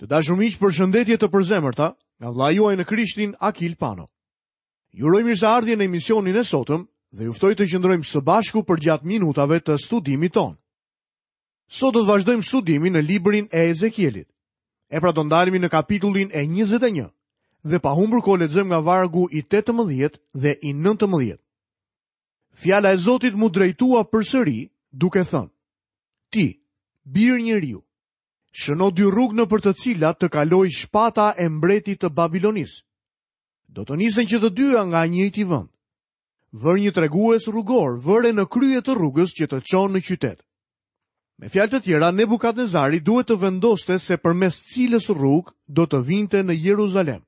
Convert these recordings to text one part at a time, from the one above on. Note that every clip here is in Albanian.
Të dashur miq, përshëndetje të përzemërta nga vëllai juaj në Krishtin Akil Pano. Ju uroj mirëseardhje në emisionin e sotëm dhe ju ftoj të qëndrojmë së bashku përgjatë minutave të studimit tonë. Sot do të vazhdojmë studimin në librin e Ezekielit. E pra do ndalemi në kapitullin e 21 dhe pa humbur kohë lexojmë nga vargu i 18 dhe i 19. Fjala e Zotit m'u drejtua përsëri duke thënë: Ti, bir njeriu, Shëno dy rrugë nëpër të cilat të kalojë shpata e mbretit të Babilonisë. Do të nisen që të dyja nga i njëjti vend. Vër një tregues rrugor, vëre në krye të rrugës që të çon në qytet. Me fjalë të tjera, Nebukadnezari duhet të vendoste se përmes cilës rrugë do të vinte në Jeruzalem.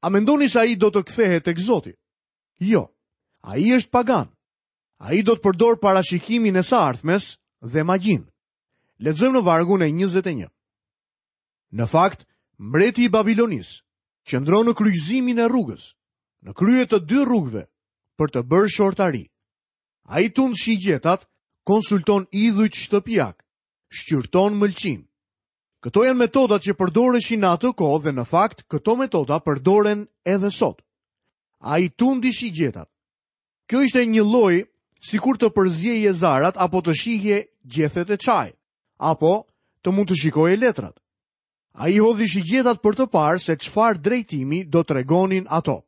A mendoni se ai do të kthehet tek Zoti? Jo. Ai është pagan. Ai do të përdorë parashikimin e së ardhmes dhe magjinë. Lexojmë në vargun e 21. Në fakt, mbreti i Babilonisë qëndron në kryqëzimin e rrugës, në krye të dy rrugëve, për të bërë shortari. Ai tund shigjetat, konsulton idhujt shtëpiakë, shqyrton mëlçinë. Këto janë metodat që përdoreshin në atë kohë dhe në fakt këto metoda përdoren edhe sot. Ai tundi shigjetat. Kjo ishte një lloj sikur të përzieje zarat apo të shihje gjethet e çajit, apo të mund të shikoje letrat. Ai hodhi shigjetat për të parë se çfarë drejtimi do tregonin ato.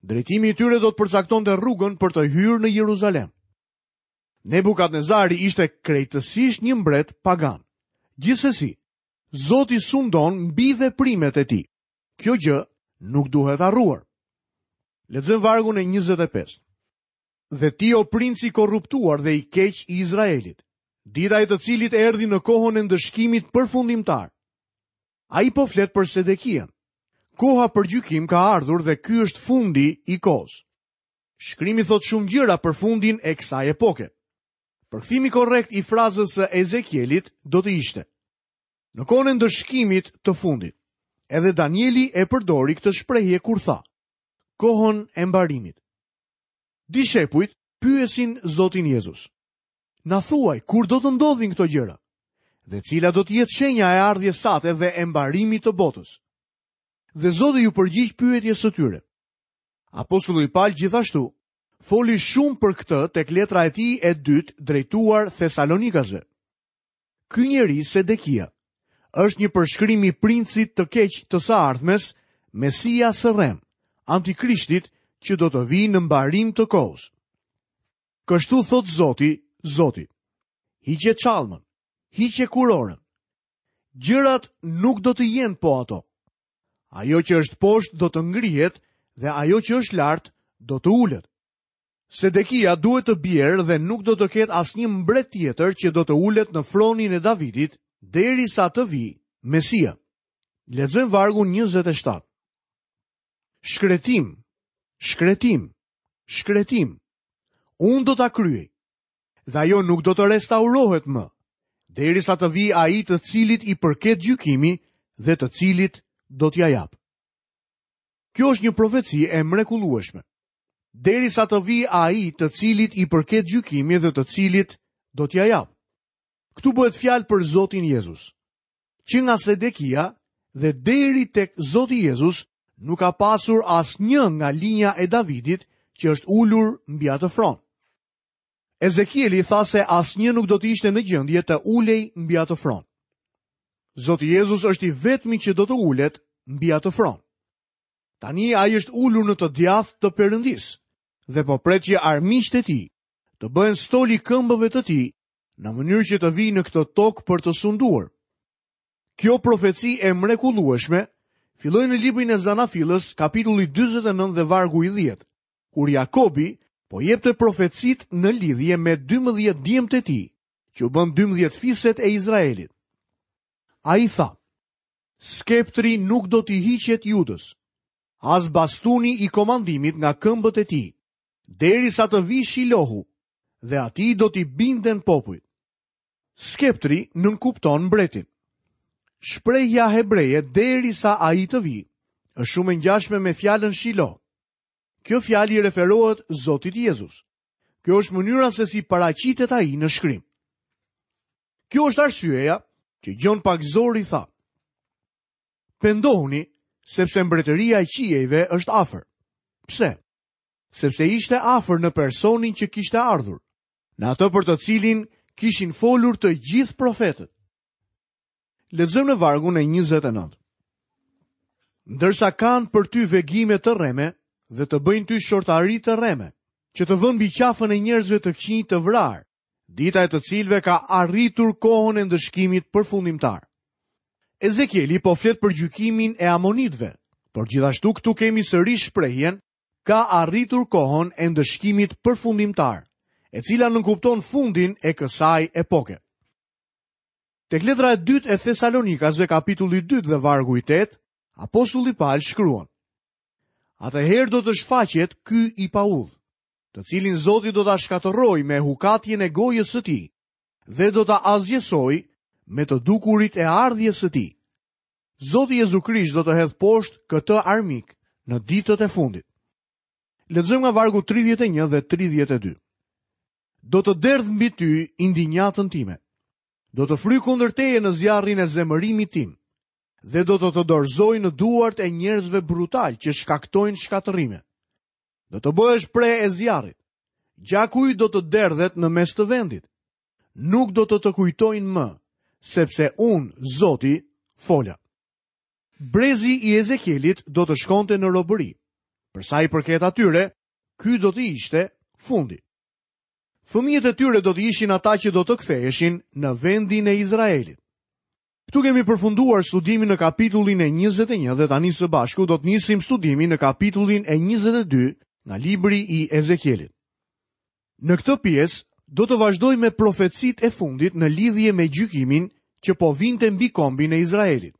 Drejtimi i tyre do të përcaktonte rrugën për të hyrë në Jeruzalem. Nebukadnezari ishte krejtësisht një mbret pagan. Gjithsesi, Zoti sundon mbi veprimet e tij. Kjo gjë nuk duhet harruar. Lexojmë vargun e 25. Dhe ti o princ i korruptuar dhe i keq i Izraelit, dita e të cilit erdhi në kohën e ndëshkimit përfundimtar. Ai po flet për Sedekian. Koha për gjykim ka ardhur dhe ky është fundi i kohës. Shkrimi thotë shumë gjëra për fundin e kësaj epoke. Përkthimi korrekt i frazës së Ezekielit do të ishte: Në kohën e ndëshkimit të fundit, edhe Danieli e përdori këtë shprehje kur tha: Kohën e mbarimit. Dishepujt pyesin Zotin Jezus. Na thuaj, kur do të ndodhin këto gjëra? Dhe cila do të jetë shenja e ardhjes sate dhe e mbarimit të botës? Dhe Zoti iu përgjigj pyetjes së tyre. Apostulli Pal gjithashtu foli shumë për këtë tek letra e tij e dytë drejtuar Thesalonikasve. Ky njeri Sedekia është një përshkrim i princit të keq të së ardhmes, Mesias së rremë, antikrishtit që do të vijë në mbarim të kohës. Kështu thotë Zoti, Zoti. Hiqe çallmën, hiqe kurorën. Gjërat nuk do të jenë po ato. Ajo që është poshtë do të ngrihet dhe ajo që është lart do të ulet. Sedekia duhet të bjerë dhe nuk do të ketë asnjë mbret tjetër që do të ulet në fronin e Davidit derisa të vijë Mesia. Lexojmë vargun 27. Shkretim, shkretim, shkretim. Unë do ta kryej. Dhe ajo nuk do të restaurohet më, derisa të vijë ai të cilit i përket gjykimi dhe të cilit do t'ia jap. Kjo është një profeci e mrekullueshme. Derisa të vijë ai të cilit i përket gjykimi dhe të cilit do t'ia jap. Këtu bëhet fjalë për Zotin Jezus. Që nga Sedekia dhe deri tek Zoti Jezus nuk ka pasur asnjë nga linja e Davidit që është ulur mbi atë fron. Ezekieli tha se asnjë nuk do të ishte në gjendje të ulej mbi atë fron. Zoti Jezus është i vetmi që do të ulet mbi atë fron. Tani ai është ulur në të djathtë të Perëndisë dhe po pret që armiqtë e tij të bëhen stol i këmbëve të tij në mënyrë që të vijë në këtë tokë për të sunduar. Kjo profeci e mrekullueshme filloi në librin e Zanafillës, kapitulli 49 dhe vargu i 10, kur Jakobi po jepte profecitë në lidhje me 12 djemtë e tij, që u bënë 12 fiset e Izraelit. Ai tha, Skeptri nuk do t'i hiqet Judës, as bastuni i komandimit nga këmbët e tij, derisa të vijë Shilohu, dhe atij do t'i binden popujt. Skeptri nënkupton mbretin. Shprehja hebreje derisa ai të vijë, është shumë e ngjashme me fjalën Shiloh. Kjo fjalë i referohet Zotit Jezus. Kjo është mënyra se si paraqitet ai në shkrim. Kjo është arsyeja që Gjon Pagëzori tha. Pendohuni, sepse mbretëria e qiejve është afër. Pse? Sepse ishte afër në personin që kishte ardhur, në atë për të cilin kishin folur të gjithë profetët. Lexojmë në vargun e 29. Ndërsa kanë për ty vegime të rreme dhe të bëjnë ty shortari të rreme, që të vënë mbi qafën e njerëzve të këqinj të vrarë, dita e të cilëve ka arritur kohën e ndëshkimit përfundimtar. Ezekieli po flet për gjykimin e amonitëve, por gjithashtu këtu kemi sërish shprehjen ka arritur kohën e ndëshkimit përfundimtar, e cila nënkupton fundin e kësaj epoke. Tek letra e dytë e Thesalonikasve kapitulli 2 dhe vargu i 8, apostulli Pal shkruan: Atëherë do të shfaqet ky i paudhë, të cilin Zoti do ta shkatërrojë me hukatjen e gojës së tij dhe do ta asgjësojë me të dukurit e ardhjes së tij. Zoti Jezu Krisht do të hedhë poshtë këtë armik në ditët e fundit. Lexojmë nga vargu 31 dhe 32. Do të derdh mbi ty indinjatën time. Do të fryj kundër teje në zjarrin e zemërimit tim dhe do të të dorëzoj në duart e njerëzve brutalë që shkaktojnë shkatërrime. Do të bëhesh pre e zjarrit. Gjaku yt do të derdhet në mes të vendit. Nuk do të të kujtojnë më, sepse unë, Zoti, fola. Brezi i Ezekielit do të shkonte në robëri. Për sa i përket atyre, ky do të ishte fundi. Fëmijët e tyre do të ishin ata që do të ktheheshin në vendin e Izraelit. Këtu kemi përfunduar studimin në kapitullin e 21 dhe tani së bashku do të nisim studimin në kapitullin e 22 nga libri i Ezekielit. Në këtë pjesë do të vazhdojmë me profecitë e fundit në lidhje me gjykimin që po vinte mbi kombin e Izraelit.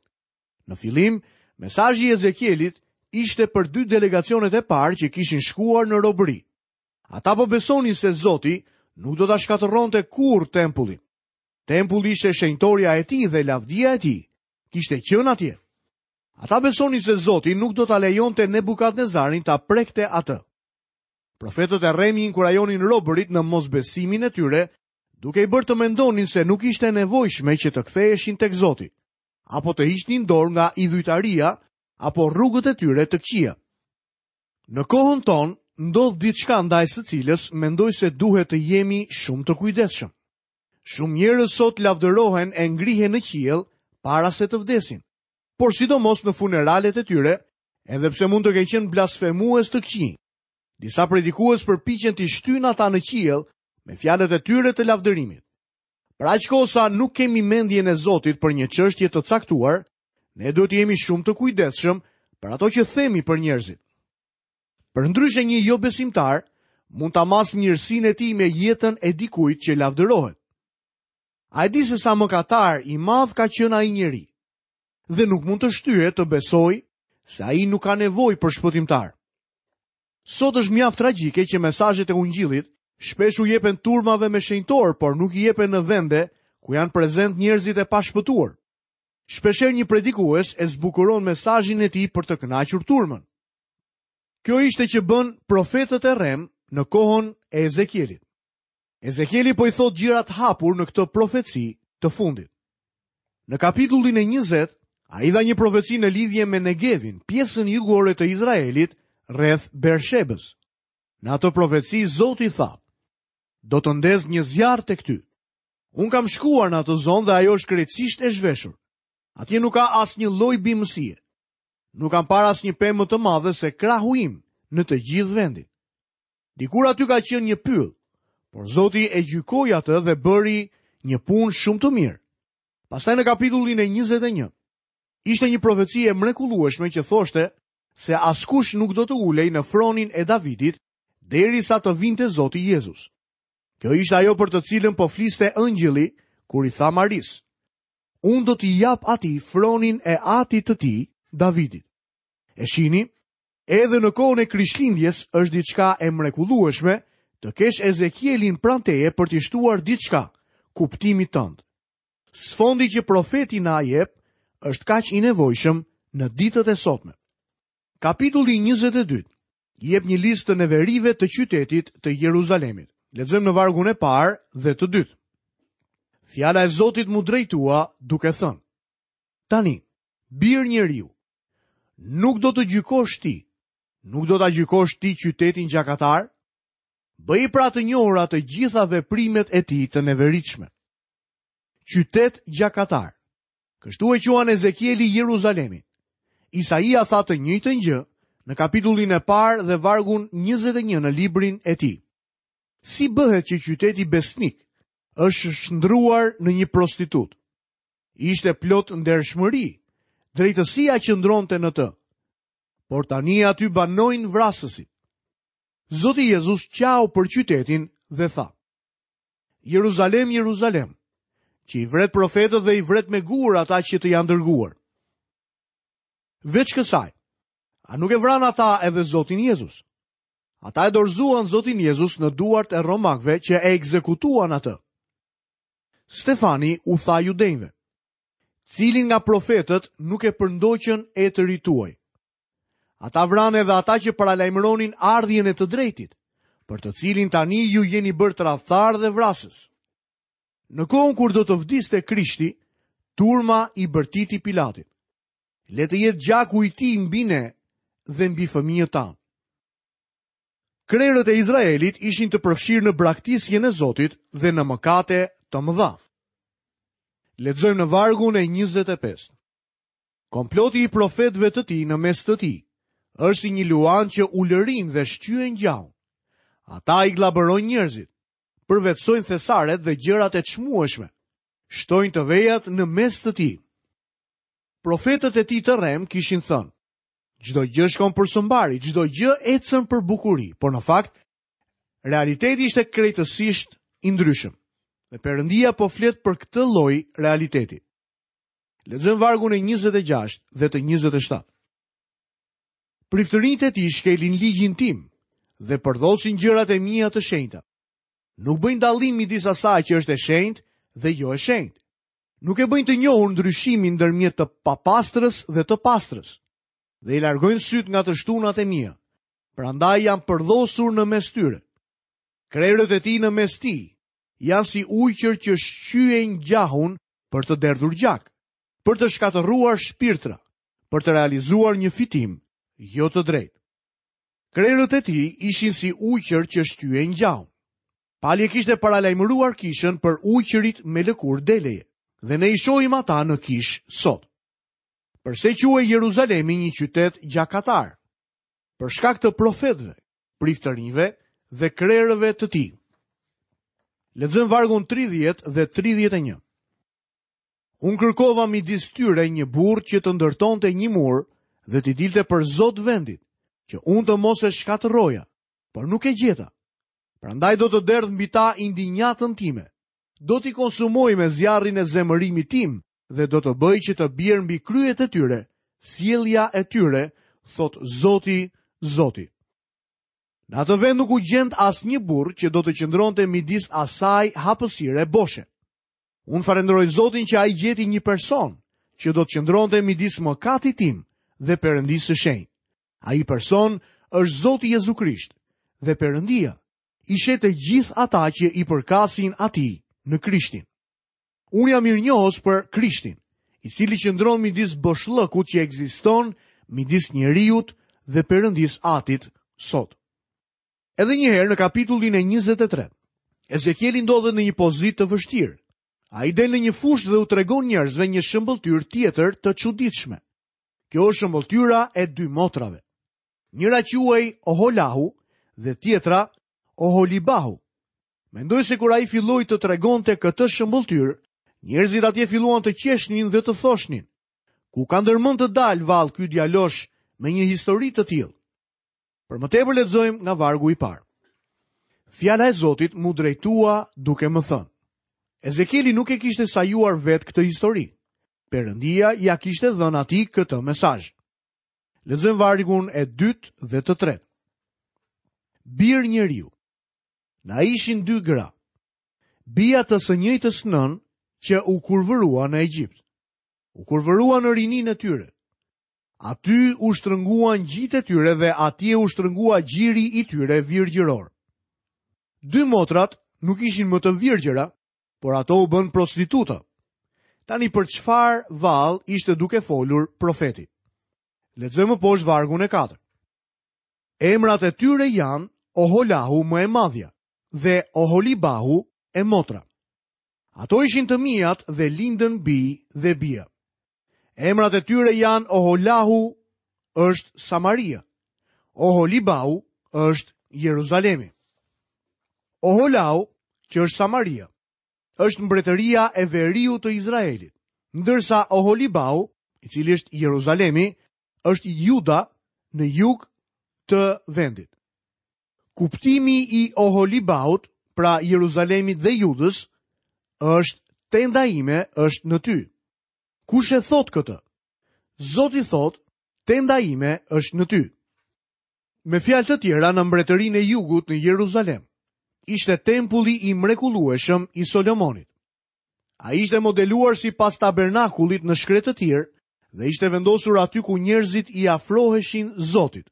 Në fillim, mesazhi i Ezekielit ishte për dy delegacionet e parë që kishin shkuar në robëri. Ata po besonin se Zoti nuk do ta shkatërronte kurrë tempullin. Tempulli ishte shenjtorja e tij dhe lavdia e tij kishte qenë atje. Ata besonin se Zoti nuk do ta lejonte Nebukadnezarin ta prekte atë. Profetët e rremë i inkurajonin robërit në mosbesimin e tyre, duke i bërë të mendonin se nuk ishte e nevojshme që të ktheheshin tek Zoti, apo të hiqnin dorë nga idhujtaria apo rrugët e tyre të këqija. Në kohën tonë ndodh diçka ndaj së cilës mendoj se duhet të jemi shumë të kujdesshëm. Shumë njerëz sot lavdërohen e ngrihen në qiell para se të vdesin. Por sidomos në funeralet e tyre, edhe pse mund të kenë qenë blasfemues të këqinj. Disa predikues përpiqen t'i shtyjnë ata në qiell me fjalët e tyre të lavdërimit. Për aq kohë sa nuk kemi mendjen e Zotit për një çështje të caktuar, ne duhet të jemi shumë të kujdesshëm për ato që themi për njerëzit. Përndryshe një jobesimtar mund ta masë mirësinë e tij me jetën e dikujt që lavdërohet. A e di se sa mëkatar i madh ka qenë ai njeri? Dhe nuk mund të shtyhet të besojë se ai nuk ka nevojë për shpëtimtar. Sot është mjaft tragjike që mesazhet e ungjillit shpesh u jepen turmave me shenjtorë, por nuk i jepen në vende ku janë prezent njerëzit e pashpëtuar. Shpeshherë një predikues e zbukuron mesazhin e tij për të kënaqur turmën. Kjo ishte që bënë profetët e rremë në kohën e Ezekielit. Ezekieli po i thotë gjërat hapur në këtë profeci të fundit. Në kapitullin e 20, ai dha një profeci në lidhje me Negevin, pjesën jugore të Izraelit, rreth Bershebës. Në atë profeci Zoti tha: Do të ndez një zjarr tek ty. Unë kam shkuar në atë zonë dhe ajo është krejtësisht e zhveshur. Atje nuk ka asnjë lloj bimësie. Nuk kam parë asnjë pemë më të madhe se krahu im në të gjithë vendin. Dikur aty ka qenë një pyll, por Zoti e gjykoi atë dhe bëri një punë shumë të mirë. Pastaj në kapitullin e 21, ishte një profeci e mrekullueshme që thoshte se askush nuk do të ulej në fronin e Davidit derisa të vinte Zoti Jezus. Kjo ishte ajo për të cilën po fliste engjëlli kur i tha Marisë. Unë do t'i jap atij fronin e atit të tij, Davidit. E shihni, Edhe në kohën e Krishtlindjes është diçka e mrekullueshme të kesh Ezekielin pranë teje për t'i shtuar diçka kuptimit tënd. Sfondi që profeti na jep është kaq i nevojshëm në ditët e sotme. Kapitulli 22 jep një listë të neverive të qytetit të Jeruzalemit. Lexojmë në vargun e parë dhe të dytë. Fjala e Zotit m'u drejtua duke thënë: Tani, Bir njeriu, nuk do të gjykosh ti, nuk do ta gjykosh ti qytetin gjakatar? Bëji pra të njohura të gjitha veprimet e tij të neveritshme. Qytet gjakatar. Kështu e quan Ezekieli Jeruzalemin. Isaia tha të njëjtën gjë në kapitullin e parë dhe vargun 21 në librin e tij. Si bëhet që qyteti besnik është shndërruar në një prostitutë? Ishte plot ndershmëri, drejtësia qëndronte në të. Por tani aty banojnë vrasësit. Zoti Jezus qau për qytetin dhe tha: Jeruzalem, Jeruzalem, që i vret profetët dhe i vret me gurë ata që të janë dërguar. Veç kësaj, a nuk e vranë ata edhe Zotin Jezus? Ata e dorëzuan Zotin Jezus në duart e romakëve që e ekzekutuan atë. Stefani u tha judenjve, cilin nga profetët nuk e përndoqën etërit tuaj? Ata vranë edhe ata që paralajmëronin ardhjen e të drejtit, për të cilin tani ju jeni bërë tradhtarë dhe vrasës. Në kohën kur do të vdiste Krishti, turma i bërtiti Pilatit. Le të jetë gjaku i tij mbi ne dhe mbi fëmijët tanë. Krerët e Izraelit ishin të përfshirë në braktisjen e Zotit dhe në mëkate të mëdha. Lexojmë në vargun e 25. Komploti i profetëve të tij në mes të tij është si një luan që ulërin dhe shqyen gjahun. Ata i gllabërojnë njerëzit, përvetësojnë thesaret dhe gjërat e çmueshme, shtojnë të vejat në mes të tij. Profetët e tij të rremë kishin thënë, çdo gjë shkon për së mbari, çdo gjë ecën për bukuri, por në fakt, realiteti ishte krejtësisht i ndryshëm. Dhe Perëndia po flet për këtë lloj realiteti. Lexojmë vargun e 26 dhe të 27. Priftërinjtë e tij shkelin ligjin tim dhe përdhosin gjërat e mia të shenjta. Nuk bëjnë dallim midis asaj që është e shenjtë dhe jo e shenjtë. Nuk e bëjnë të njohur ndryshimin ndërmjet të papastrës dhe të pastrës. Dhe i largojnë sytë nga të shtunat e mia. Prandaj jam përdhosur në mes tyre. Krerët e tij në mes tij janë si ujqër që shqyejnë gjahun për të derdhur gjak, për të shkatërruar shpirtra, për të realizuar një fitim jo të drejtë. Krerët e tij ishin si ujqër që shqyejnë gjahun. Pali e kishte paralajmëruar kishën për ujqërit me lëkurë deleje, dhe ne i shohim ata në kishë sot. Përse quhej Jeruzalemi një qytet gjakatar? Për shkak të profetëve, priftërinjve dhe krerëve të tij. Lexojmë vargun 30 dhe 31. Unë kërkova midis tyre një burrë që të ndërtonte një mur dhe t'i dilte për zot vendit, që unë të mos e shkatërroja, por nuk e gjeta. Prandaj do të derdh mbi ta indinjatën time. Do t'i konsumoj me zjarrin e zemërimit tim dhe do të bëj që të bjerë mbi kryet e tyre, sjellja e tyre, thotë Zoti, Zoti. Në atë vend nuk u gjend asnjë burrë që do të qëndronte midis asaj hapësire boshe. Unë falënderoj Zotin që ai gjeti një person që do të qëndronte midis mëkatit tim dhe Perëndisë së shenjtë. Ai person është Zoti Jezu Krisht dhe Perëndia i sheh të gjithë ata që i përkasin atij në Krishtin. Unë jam mirënjohës për Krishtin, i cili qëndron midis boshllëkut që ekziston midis njeriut dhe Perëndisë Atit sot. Edhe një herë në kapitullin e 23, Ezekieli ndodhet në një pozitë të vështirë. Ai del në një fushë dhe u tregon njerëzve një shëmbëlltyrë tjetër të çuditshme. Kjo është shëmbëlltyra e dy motrave. Njëra quhej Oholahu dhe tjetra Oholibahu. Mendoj se kur ai filloi të tregonte këtë shëmbëlltyrë, njerëzit atje filluan të qeshnin dhe të thoshnin, ku ka ndërmend të dalë vallë ky djalosh me një histori të tillë? Për më tepër lexojmë nga vargu i parë. Fjala e Zotit m'u drejtua duke më thënë. Ezekieli nuk e kishte sajuar vetë këtë histori. Perëndia ia kishte dhënë atij këtë mesazh. Lexojmë vargun e dytë dhe të tretë. Bir njeriu, Na ishin dy gra, bija të së njëjtës nënë që u kurvërua në Egjipt. U kurvërua në rininë e tyre. Aty u shtrënguan gjitë e tyre dhe atje u shtrëngua gjiri i tyre virgjëror. Dy motrat nuk ishin më të virgjëra, por ato u bënë prostituta. Tani për çfarë vallë ishte duke folur profeti? Lexojmë më poshtë vargun e 4. Emrat e tyre janë Oholahu më e madhja dhe Oholibahu e motra. Ato ishin të miat dhe lindën bij dhe bija. Emrat e tyre janë Oholahu është Samaria, Oholibahu është Jeruzalemi. Oholahu, që është Samaria, është mbretëria e veriut të Izraelit, ndërsa Oholibahu, i cili është Jeruzalemi, është Juda në jug të vendit. Kuptimi i Oholibahut, pra Jeruzalemit dhe Judës, është tenda ime është në ty. Kush e thotë këtë? Zoti thotë, tenda ime është në ty. Me fjalë të tjera në mbretërinë e jugut në Jeruzalem, ishte tempulli i mrekullueshëm i Solomonit. Ai ishte modeluar sipas tabernakullit në shkretëtirë dhe ishte vendosur aty ku njerëzit i afroheshin Zotit.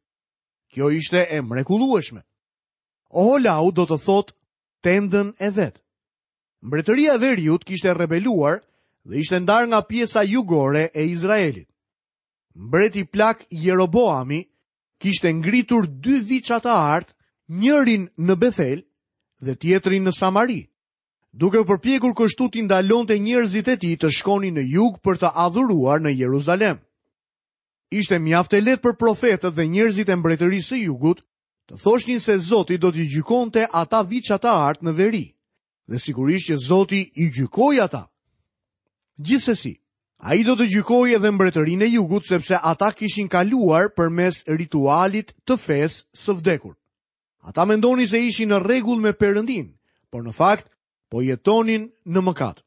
Kjo ishte e mrekullueshme. Oholahu do të thotë tendën e vet. Mbretëria e Veriut kishte rebeluar dhe ishte ndarë nga pjesa jugore e Izraelit. Mbreti plak Jeroboami kishte ngritur dy viça të artë, njërin në Bethel dhe tjetrin në Samari, duke u përpjekur kështu t'i ndalonte njerëzit e tij të shkonin në jug për të adhuruar në Jeruzalem. Ishte mjaft e lehtë për profetët dhe njerëzit e mbretërisë së jugut të thoshnin se Zoti do t'i gjykonte ata viça të artë në veri, dhe sigurisht që Zoti i gjykoi ata. Gjithsesi, ai do të gjykojë edhe mbretërinë e jugut sepse ata kishin kaluar përmes ritualit të fesë së vdekur. Ata mendonin se ishin në rregull me Perëndinë, por në fakt po jetonin në mëkat.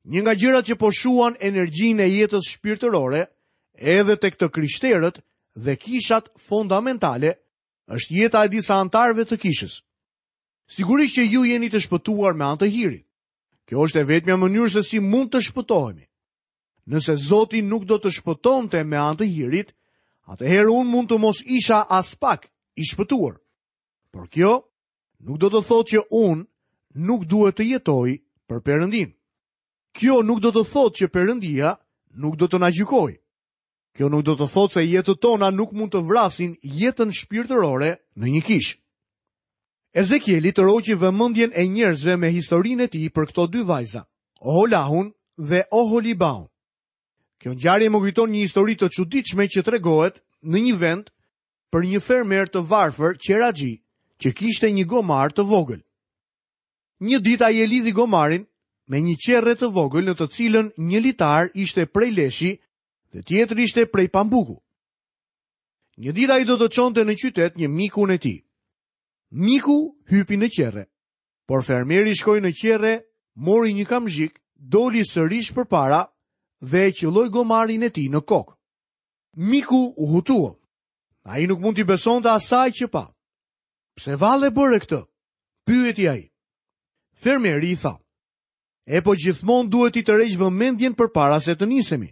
Një nga gjërat që po shuan energjinë e jetës shpirtërore edhe tek të krishterët dhe kishat fondamentale është jeta e disa anëtarëve të kishës. Sigurisht që ju jeni të shpëtuar me anë të hirit. Kjo është e vetmja mënyrë se si mund të shpëtohemi. Nëse Zoti nuk do të shpëtonte me anë të hirit, atëherë unë mund të mos isha aspak i shpëtuar. Por kjo nuk do të thotë që unë nuk duhet të jetoj për Perëndinë. Kjo nuk do të thotë që Perëndia nuk do të na gjykojë. Kjo nuk do të thotë se jetët tona nuk mund të vrasin jetën shpirtërore në një kishë. Ezekieli tërhoqi vëmendjen e njerëzve me historinë e tij për këto dy vajza, Oholahun dhe Oholibahun. Kjo ngjarje më kujton një histori të çuditshme që tregohet në një vend për një fermer të varfër qeraxhi që kishte një gomar të vogël. Një ditë ai e lidhi gomarin me një qerre të vogël në të cilën një litar ishte prej leshi dhe tjetri ishte prej pambuku. Një ditë ai do të çonte në qytet një mikun e tij. Miku hypi në qerre, por fermeri shkoi në qerre, mori një kamzhik, doli sërish përpara dhe e qëlloi gomarin e tij në kokë. Miku u hutua. Ai nuk mund t'i besonte asaj që pa. Pse vallë e bëre këtë? Pyeti ai. Fermeri i tha. E po gjithmonë duhet t'i tërheq vëmendjen përpara se të nisemi.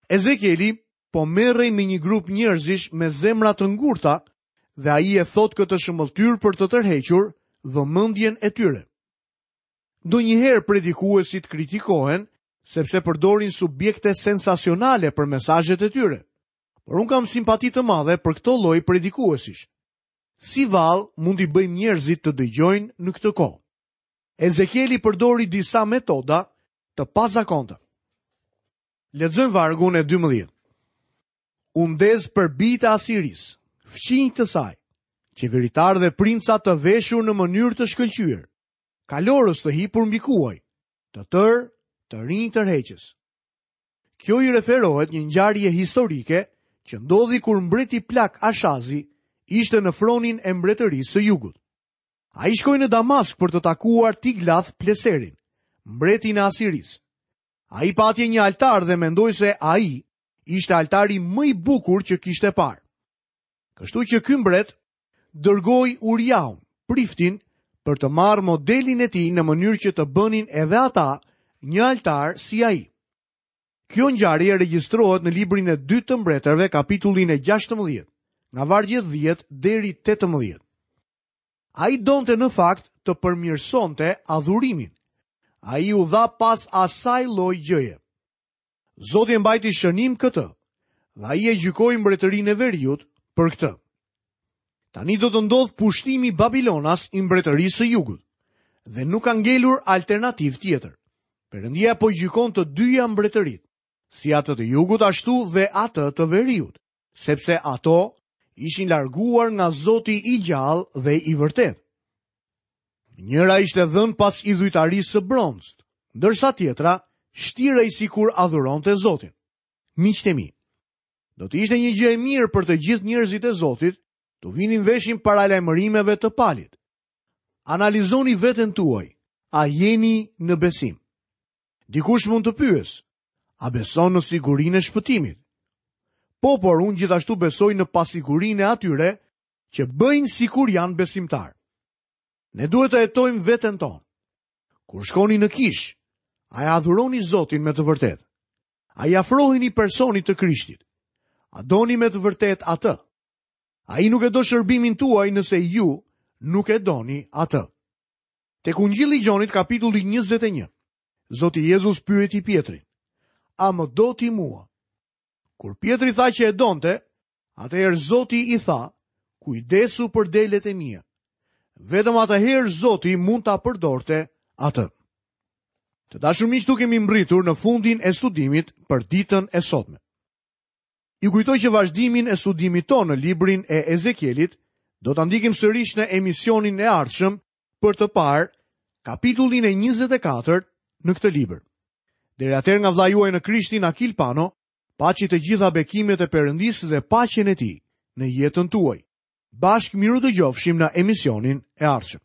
Ezekieli po merrej me një grup njerëzish me zemra të ngurta dhe ai e thotë këtë shëmbëlltyrë për të tërhequr vëmendjen e tyre. Ndonjëherë predikuesit kritikohen sepse përdorin subjekte sensacionale për mesazhet e tyre. Por unë kam simpati të madhe për këto lloj predikuesish. Si vallë mund t'i bëjmë njerëzit të dëgjojnë në këtë kohë? Ezekieli përdori disa metoda të pazakonta. Lexojmë vargun e 12. U ndez për bijtë e Asirisë, fqinj të saj, qeveritarë dhe princa të veshur në mënyrë të shkëlqyer, kalorës të hipur mbi kuaj, të tërë, të rinj tërheqës. Kjo i referohet një ngjarje historike që ndodhi kur mbreti plak Ashazi ishte në fronin e mbretërisë së jugut. Ai shkoi në Damask për të takuar Tiglath Pleserin, mbretin e Asirisë. Ai pa atje një altar dhe mendoi se ai ishte altari më i bukur që kishte parë. Kështu që ky mbret dërgoi Uriahun, priftin, për të marrë modelin e tij në mënyrë që të bënin edhe ata një altar si ai. Kjo ngjarje regjistrohet në librin e dytë të mbretërve, kapitullin e 16, nga vargjet 10 deri 18. Ai donte në fakt të përmirësonte adhurimin. Ai u dha pas asaj lloj gjëje. Zoti e mbajti shënim këtë dhe ai e gjykoi mbretërinë e veriut për këtë. Tani do të ndodhë pushtimi babilonas i mbretërisë së jugut dhe nuk ka ngelur alternativë tjetër. Perëndia po gjykon të dyja mbretëritë, si atë të jugut ashtu dhe atë të veriut, sepse ato ishin larguar nga Zoti i gjallë dhe i vërtetë. Njëra ishte dhënë pas idhujtarisë së bronztë, ndërsa tjetra shtirej sikur adhuronte Zotin. Miqtë e mi, do të ishte një gjë e mirë për të gjithë njerëzit e Zotit t'u vinin veshin paralajmërimeve të Palit. Analizoni veten tuaj, a jeni në besim? Dikush mund të pyesë, a beson në sigurinë e shpëtimit? Po, por unë gjithashtu besoj në pasigurinë e atyre që bëjnë sikur janë besimtarë. Ne duhet të hetojmë veten tonë. Kur shkoni në kishë, a e adhuroni Zotin me të vërtetë? A i afroheni personit të Krishtit? A doni me të vërtetë atë? Ai nuk e do shërbimin tuaj nëse ju nuk e doni atë. Tek Ungjilli i Gjonit kapitulli 21. Zoti Jezus pyeti Pjetrin: A më do ti mua? Kur Pjetri tha që e donte, Atëherë Zoti i tha, kujdesu për delet e mia. Vetëm atëherë Zoti mund ta përdorte atë. Të dashur miq, këtu kemi mbërritur në fundin e studimit për ditën e sotme. Ju kujtoj që vazhdimin e studimit tonë në librin e Ezekielit do ta ndjekim sërish në emisionin e ardhshëm për të parë kapitullin e 24 në këtë libër. Deri atëherë nga vëllai juaj në Krishtin Akil Pano, Paçi të gjitha bekimet e Perëndisë dhe paqen e Tij në jetën tuaj. Bashkë mirudëgjofshim në emisionin e ardhshëm.